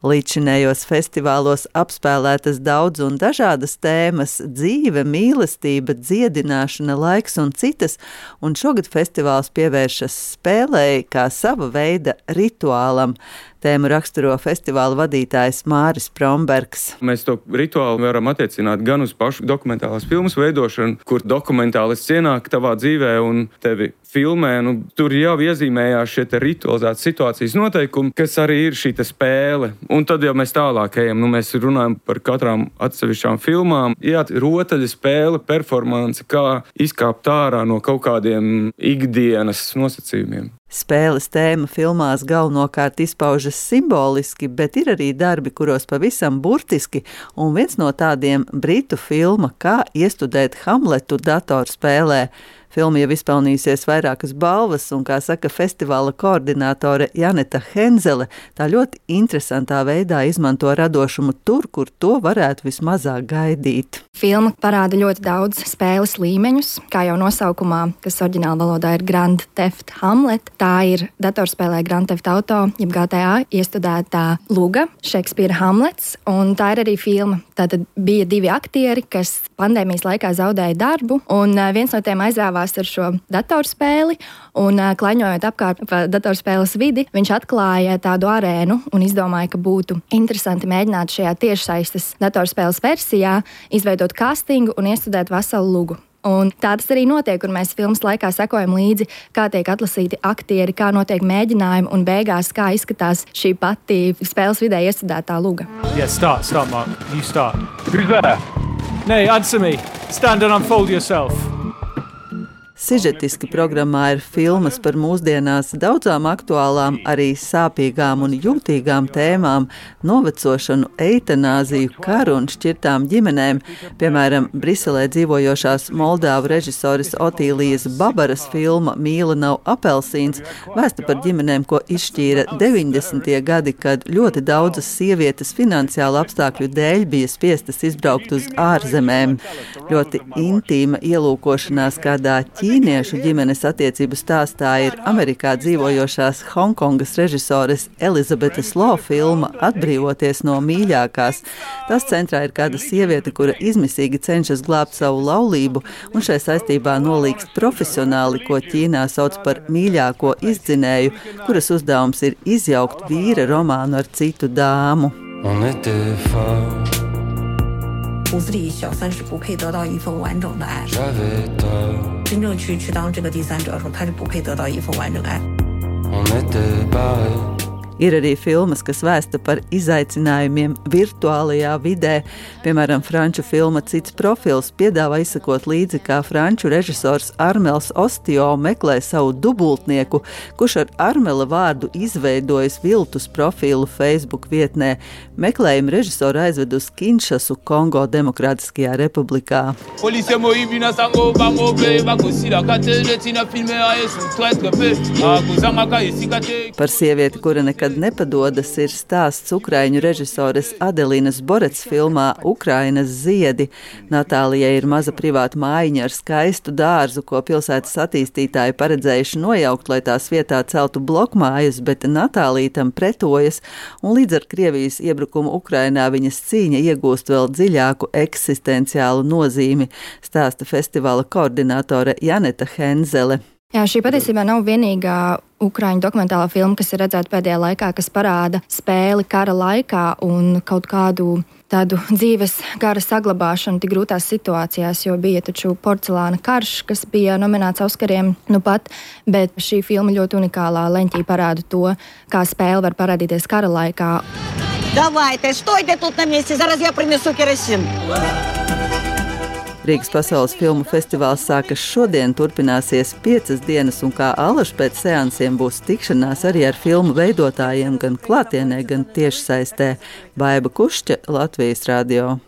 Līdzinējos festivālos apspēlētas daudz un dažādas tēmas – dzīve, mīlestība, dziedināšana, laiks un citas, un šogad festivāls pievēršas spēlei kā sava veida rituālam. Tēmu raksturo festivāla vadītājs Māris Prombergs. Mēs to rituālu varam attiecināt gan uz pašu dokumentālās filmas veidošanu, kur dokumentālists ienāk tavā dzīvē un tevi filmē. Tur jau iezīmējās šie ritualizētas situācijas noteikumi, kas arī ir šī spēle. Un tad jau mēs tālāk ejam, mēs runājam par katrām atsevišķām filmām. Jā, rotaļa spēle, performance, kā izkāpt ārā no kaut kādiem ikdienas nosacījumiem. Spēles tēma filmās galvenokārt izpaužas simboliski, bet ir arī darbi, kuros pavisam burtiski, un viens no tādiem britu filma Kā iestudēt Hamletu datorspēlē. Filma jau izpelnījusies vairākas balvas, un, kā saka festivāla koordinātore Janeta Henzele, tā ļoti interesantā veidā izmanto radošumu tur, kur to varētu vismazāk gaidīt. Filma parāda ļoti daudz spēles līmeņus, kā jau nosaukumā, kas oriģināla valodā ir Grand Theft Hamlet. Tā ir datorspēlē Grand Theft Auto, jeb GTA, iestudētā luga, Šekspīra Hamlets, un tā ir arī filma. Tātad bija divi aktieri, kas pandēmijas laikā zaudēja darbu, un viens no tiem aizrāvās ar šo datorspēli, un klaņojot apkārt pa datorspēles vidi, viņš atklāja tādu arēnu un izdomāja, ka būtu interesanti mēģināt šajā tiešsaistes datorspēles versijā izveidot castingu un iestudēt veselu lugu. Un tā tas arī notiek, kur mēs filmas laikā sekojam līdzi, kā tiek atlasīti aktieri, kā notiek mēģinājumi un beigās, kā izskatās šī pati spēles vidē iestudētā luga. Yeah, start, Mark. You start. Who's there? Nay, answer me. Stand and unfold yourself. Sižetiski programmā ir filmas par mūsdienās daudzām aktuālām, arī sāpīgām un jūtīgām tēmām, novecošanu, eitanāziju, karu un šķirtām ģimenēm. Piemēram, Briselē dzīvojošās Moldāvu režisoras Otīlijas Babaras filma Mīla nav apelsīns, vēsta par ģimenēm, ko izšķīra 90. gadi, kad ļoti daudzas sievietes finansiālu apstākļu dēļ bija spiestas izbraukt uz ārzemēm. Ļoti intīma ielūkošanās kādā ķīniešu ģimenes attiecību stāstā ir Amerikā dzīvojošās Hongkongas režisores Elizabetes Lo filma Atbrīvoties no mīļākās. Tas centrā ir kāda sieviete, kura izmisīgi cenšas glābt savu laulību un šai saistībā nolīgst profesionāli, ko Ķīnā sauc par mīļāko izdzinēju, kuras uzdevums ir izjaukt vīra romānu ar citu dāmu. 骨子里小三是不配得到一份完整的爱，真正去当这个第三者的时候，他是不配得到一份完整爱。 Ir arī filmas, kas vēsta par izaicinājumiem virtuālajā vidē. Piemēram, franču filma Cits profils piedāvā izsakot līdzi, kā franču režisors Armels Ostio meklē savu dubultnieku, kurš ar Armela vārdu izveidojis viltus profilu Facebook vietnē. Meklējumu režisoru aizved uz Kinšasu, Kongo Demokrātiskajā republikā. Par sievieti, kura nekad nepadodas, ir stāsts ukraiņu režisores Adelinas Borets filmā Ukrainas ziedi. Natālijai ir maza privāta mājiņa ar skaistu dārzu, ko pilsētas attīstītāji paredzējuši nojaukt, lai tās vietā celtu blokmājas, bet Natālija tam pretojas, un līdz ar Krievijas iebrukumu Ukrainā viņas cīņa iegūst vēl dziļāku eksistenciālu nozīmi, stāsta festivāla koordinātore Janeta Henzele. Jā, šī patiesībā nav vienīgā ukraiņu dokumentālā filma, kas ir redzēta pēdējā laikā, kas parāda spēli kara laikā un kaut kādu tādu dzīves gara saglabāšanu tik grūtās situācijās, jo bija taču Porcelāna karš, kas bija nominēts Oskariem nu pat, bet šī filma ļoti unikālā leņķī parāda to, kā spēle var parādīties kara laikā. Давайте, стойте тут на месте, зараз я принесу керосин. Rīgas pasaules filmu festivāls sākas šodien, turpināsies 5 dienas, un kā alaž pēc seansiem būs tikšanās arī ar filmu veidotājiem gan klātienē, gan tiešsaistē. Baiba Kušķa, Latvijas radio.